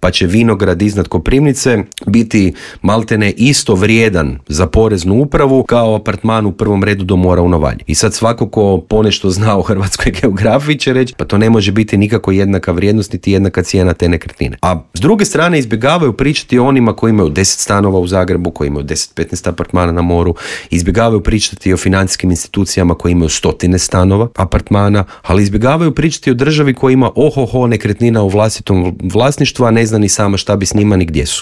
pa će vinograd iznad Koprivnice biti maltene isto vrijedan za poreznu upravu kao apartman u prvom redu do mora u Novalji. I sad svako ko ponešto zna o hrvatskoj geografiji će reći pa to ne može biti nikako jednaka vrijednost niti jednaka cijena te nekretnine. A s druge strane izbjegavaju pričati o onima koji imaju 10 stanova u Zagrebu, koji imaju 10-15 apartmana na moru, izbjegavaju pričati o financijskim institucijama koji imaju 100 stanova, apartmana, ali izbjegavaju pričati o državi koja ima nekretnina u vlastitom vlasništvu, a ne zna ni sama šta bi s njima ni gdje su.